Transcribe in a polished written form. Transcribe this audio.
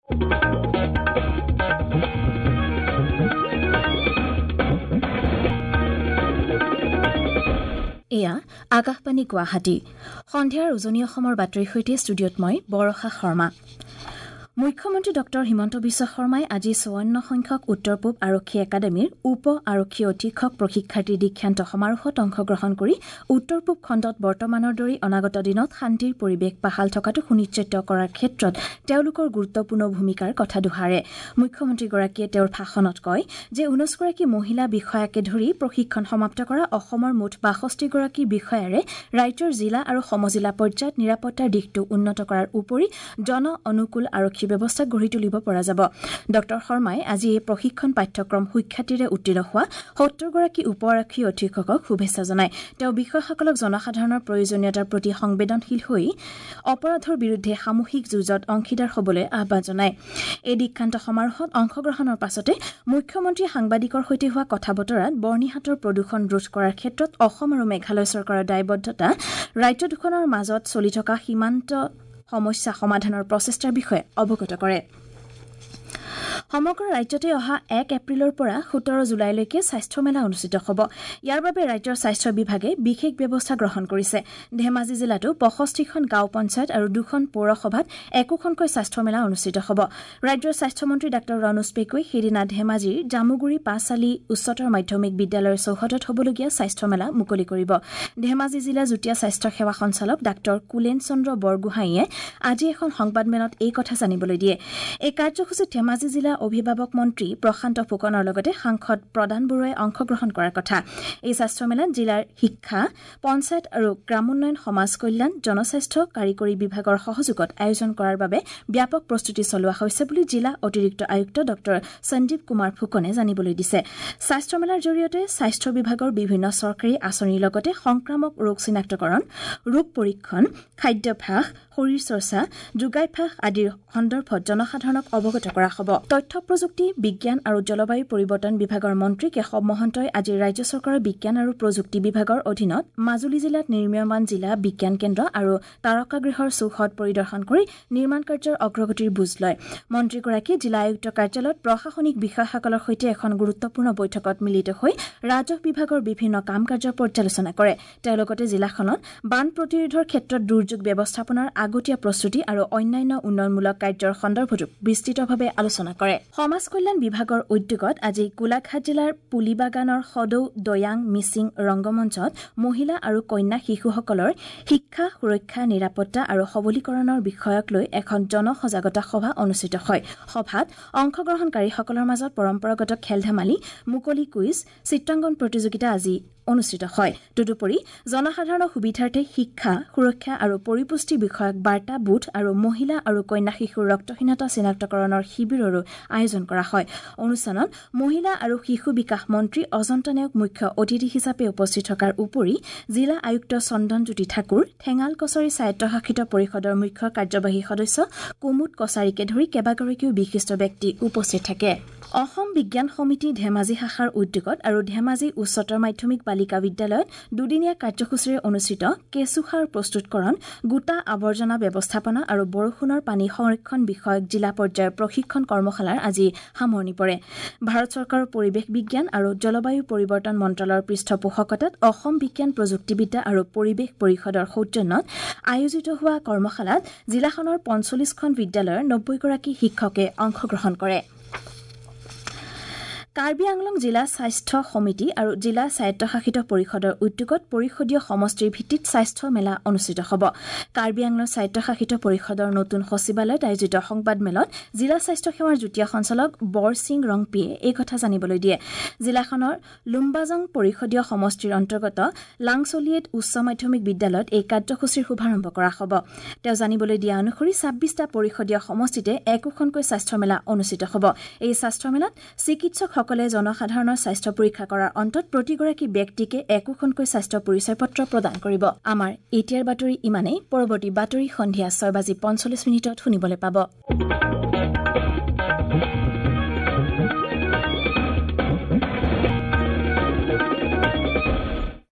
এয়া আকাশবাণী গুৱাহাটী। সন্ধিয়াৰ উজনি অসমৰ বাতৰিৰ সৈতে ষ্টুডিঅ'ত মই বৰষা শৰ্মা। মুখ্যমন্ত্ৰী ডঃ হিমন্ত বিশ্ব শৰ্মাই আজি ৫৪ সংখ্যক উত্তৰ পূব আৰক্ষী একাডেমীৰ উপ আৰক্ষী অধীক্ষক প্ৰশিক্ষাৰ্থী দীক্ষান্ত সমাৰোহত অংশগ্ৰহণ কৰি উত্তৰ পূব খণ্ডত বৰ্তমানৰ দৰেই অনাগত দিনত শান্তিৰ পৰিৱেশ বাহাল থকাটো সুনিশ্চিত কৰাৰ ক্ষেত্ৰত তেওঁলোকৰ গুৰুত্বপূৰ্ণ ভূমিকাৰ কথা দোহাৰে। মুখ্যমন্ত্ৰীগৰাকীয়ে তেওঁৰ ভাষণত কয় যে ১৯গৰাকী মহিলা বিষয়াকে ধৰি প্ৰশিক্ষণ সমাপ্ত কৰা অসমৰ মুঠ ৬২গৰাকী বিষয়াৰে ৰাজ্যৰ জিলা আৰু সমজিলা পৰ্যায়ত নিৰাপত্তাৰ দিশটো উন্নত কৰাৰ উপৰি জন অনুকূল আৰক্ষী ব্যৱস্থা গঢ়ি তুলিব পৰা যাব। ডঃ শৰ্মাই আজি এই প্ৰশিক্ষণ পাঠ্যক্ৰম সুখ্যাতিৰে উত্তীৰ্ণ হোৱা ৭০গৰাকী উপ আৰক্ষী অধীক্ষকক শুভেচ্ছা জনায়। তেওঁ বিষয়াসকলক জনসাধাৰণৰ প্ৰয়োজনীয়তাৰ প্ৰতি সংবেদনশীল হৈ অপৰাধৰ বিৰুদ্ধে সামূহিক যুঁজত অংশীদাৰ হ'বলৈ আহ্বান জনায়। এই দীক্ষান্ত সমাৰোহত অংশগ্ৰহণৰ পাছতে মুখ্যমন্ত্ৰীয়ে সাংবাদিকৰ সৈতে হোৱা কথা বতৰাত বৰ্ণিহাটৰ প্ৰদূষণ ৰোধ কৰাৰ ক্ষেত্ৰত অসম আৰু মেঘালয় চৰকাৰৰ দায়বদ্ধতা, ৰাজ্য দুখনৰ মাজত চলি থকা সীমান্ত সমস্যা সমাধানৰ প্ৰচেষ্টাৰ বিষয়ে অৱগত কৰে। সমগ্ৰ ৰাজ্যতে অহা ১ এপ্ৰিলৰ পৰা ১৭ জুলাইলৈকে স্বাস্থ্য মেলা অনুষ্ঠিত হ'ব। ইয়াৰ বাবে ৰাজ্যৰ স্বাস্থ্য বিভাগে বিশেষ ব্যৱস্থা গ্ৰহণ কৰিছে। ধেমাজি জিলাতো ৬৫খন গাঁও পঞ্চায়ত আৰু ২খন পৌৰসভাত একোখনকৈ স্বাস্থ্য মেলা অনুষ্ঠিত হ'ব। ৰাজ্যৰ স্বাস্থ্যমন্ত্ৰী ডাঃ ৰণোজ পেগুৱে সেইদিনা ধেমাজিৰ জামুগুৰি পাঁচআলি উচ্চতৰ মাধ্যমিক বিদ্যালয়ৰ চৌহদত হ'বলগীয়া স্বাস্থ্য মেলা মুকলি কৰিব। ধেমাজি জিলা যুটীয়া স্বাস্থ্য সেৱা সঞ্চালক ডাঃ কুলেন চন্দ্ৰ বৰগোহাঁইয়ে আজি এখন সংবাদমেলত এই কথা জানিবলৈ দিয়ে। এই কাৰ্যসূচীত ধেমাজি জিলা অভিভাৱক মন্ত্ৰী প্ৰশান্ত ফুকনৰ লগতে সাংসদ প্ৰদান বৰুৱাই অংশগ্ৰহণ কৰাৰ কথা। এই স্বাস্থ্য মেলাত জিলাৰ শিক্ষা, পঞ্চায়ত আৰু গ্ৰামোন্নয়ন, সমাজ কল্যাণ, জনস্বাস্থ্য কাৰিকৰী বিভাগৰ সহযোগত আয়োজন কৰাৰ বাবে ব্যাপক প্ৰস্তুতি চলোৱা হৈছে বুলি জিলা অতিৰিক্ত আয়ুক্ত ডঃ সঞ্জীৱ কুমাৰ ফুকনে জানিবলৈ দিছে। স্বাস্থ্য মেলাৰ জৰিয়তে স্বাস্থ্য বিভাগৰ বিভিন্ন চৰকাৰী আঁচনিৰ লগতে সংক্ৰামক ৰোগ চিনাক্তকৰণ, ৰোগ পৰীক্ষণ, খাদ্যাভ্যাস, শৰীৰ চৰ্চা, যোগাভ্যাস আদিৰ সন্দৰ্ভত জনসাধাৰণক অৱগত কৰা হ'ব। তথ্য প্ৰযুক্তি, বিজ্ঞান আৰু জলবায়ু পৰিৱৰ্তন বিভাগৰ মন্ত্ৰী কেশৱ মহন্তই আজি ৰাজ্য চৰকাৰৰ বিজ্ঞান আৰু প্ৰযুক্তি বিভাগৰ অধীনত মাজুলী জিলাত নিৰ্মীয়মান জিলা বিজ্ঞান কেন্দ্ৰ আৰু তাৰকাগৃহৰ চৌহদ পৰিদৰ্শন কৰি নিৰ্মাণ কাৰ্যৰ অগ্ৰগতিৰ বুজ লয়। মন্ত্ৰীগৰাকীয়ে জিলা আয়ুক্ত কাৰ্যালয়ত প্ৰশাসনিক বিষয়াসকলৰ সৈতে এখন গুৰুত্বপূৰ্ণ বৈঠকত মিলিত হৈ ৰাজহ বিভাগৰ বিভিন্ন কাম কাৰ্যৰ পৰ্যালোচনা কৰে। তেওঁ লগতে জিলাখনত বান প্ৰতিৰোধৰ ক্ষেত্ৰত দুৰ্যোগ ব্যৱস্থাপনাৰ আগতীয়া প্ৰস্তুতি আৰু অন্যান্য উন্নয়নমূলক কাৰ্যৰ সন্দৰ্ভতো বিস্তৃতভাৱে আলোচনা কৰে। সমাজ কল্যাণ বিভাগৰ উদ্যোগত আজি গোলাঘাট জিলাৰ পুলিবাগানৰ সদৌ দয়াং মিচিং ৰংগমঞ্চত মহিলা আৰু কন্যা শিশুসকলৰ শিক্ষা, সুৰক্ষা, নিৰাপত্তা আৰু সবলীকৰণৰ বিষয়ক লৈ এখন জনসজাগতা সভা অনুষ্ঠিত হয়। সভাত অংশগ্ৰহণকাৰীসকলৰ মাজত পৰম্পৰাগত খেল ধেমালি, মুকলি কুইজ, চিত্ৰাংকন প্ৰতিযোগিতা আজি অনুষ্ঠিত হয়। তদুপৰি জনসাধাৰণৰ সুবিধাৰ্থে শিক্ষা, সুৰক্ষা আৰু পৰিপুষ্টি বিষয়ক বাৰ্তা বুথ আৰু মহিলা আৰু কন্যা শিশুৰ ৰক্তহীনতা চিনাক্তকৰণৰ শিবিৰৰো আয়োজন কৰা হয়। অনুষ্ঠানত মহিলা আৰু শিশু বিকাশ মন্ত্ৰী অজন্তা নেওগ মুখ্য অতিথি হিচাপে উপস্থিত থকাৰ উপৰি জিলা আয়ুক্ত চন্দনজ্যোতি ঠাকুৰ, ঠেঙাল কছাৰী স্বায়ত্তশাসিত পৰিষদৰ মুখ্য কাৰ্যবাহী সদস্য কুমুদ কছাৰীকে ধৰি কেইবাগৰাকীও বিশিষ্ট ব্যক্তি উপস্থিত থাকে। অসম বিজ্ঞান সমিতি ধেমাজি শাখাৰ উদ্যোগত আৰু ধেমাজি উচ্চতৰ মাধ্যমিক বালিকা বিদ্যালয়ত দুদিনীয়া কাৰ্যসূচীৰে অনুষ্ঠিত কেঁচুসাৰ প্ৰস্তুতকৰণ, গোটা আৱৰ্জনা ব্যৱস্থাপনা আৰু বৰষুণৰ পানী সংৰক্ষণ বিষয়ক জিলা পৰ্যায়ৰ প্ৰশিক্ষণ কৰ্মশালাৰ আজি সামৰণি পৰে। ভাৰত চৰকাৰৰ পৰিৱেশ বিজ্ঞান আৰু জলবায়ু পৰিৱৰ্তন মন্ত্ৰালয়ৰ পৃষ্ঠপোষকতাত অসম বিজ্ঞান প্ৰযুক্তিবিদ্যা আৰু পৰিৱেশ পৰিষদৰ সৌজন্যত আয়োজিত হোৱা কৰ্মশালাত জিলাখনৰ ৪৫খন বিদ্যালয়ৰ ৯০গৰাকী শিক্ষকে অংশগ্ৰহণ কৰে। কাৰ্বি আংলং জিলা স্বাস্থ্য সমিতি আৰু জিলা স্বায়ত্তশাসিত পৰিষদৰ উদ্যোগত পৰিষদীয় সমষ্টিৰ ভিত্তিত স্বাস্থ্য মেলা অনুষ্ঠিত হ'ব। কাৰ্বি আংলং স্বায়ত্তশাসিত পৰিষদৰ নতুন সচিবালয়ত আয়োজিত সংবাদমেলত জিলা স্বাস্থ্য সেৱাৰ যুটীয়া সঞ্চালক বৰসিং ৰংপিয়ে এই কথা জানিবলৈ দিয়ে। জিলাখনৰ লুম্বাজং পৰিষদীয় সমষ্টিৰ অন্তৰ্গত লাংচলিয়েট উচ্চ মাধ্যমিক বিদ্যালয়ত এই কাৰ্যসূচীৰ শুভাৰম্ভ কৰা হ'ব। তেওঁ জানিবলৈ দিয়া অনুসৰি ২৬টা পৰিষদীয় সমষ্টিতে একোখনকৈ স্বাস্থ্য মেলা অনুষ্ঠিত হ'ব। এই স্বাস্থ্য মেলাত চিকিৎসকসকলে জনসাধাৰণৰ স্বাস্থ্য পৰীক্ষা কৰাৰ অন্তত প্ৰতিগৰাকী ব্যক্তিকে একোখনকৈ স্বাস্থ্য পৰিচয় পত্ৰ প্ৰদান কৰিব। আমাৰ এতিয়াৰ বাতৰি ইমানেই। পৰৱৰ্তী বাতৰি সন্ধিয়া ৬:৪৫ শুনিবলৈ পাব।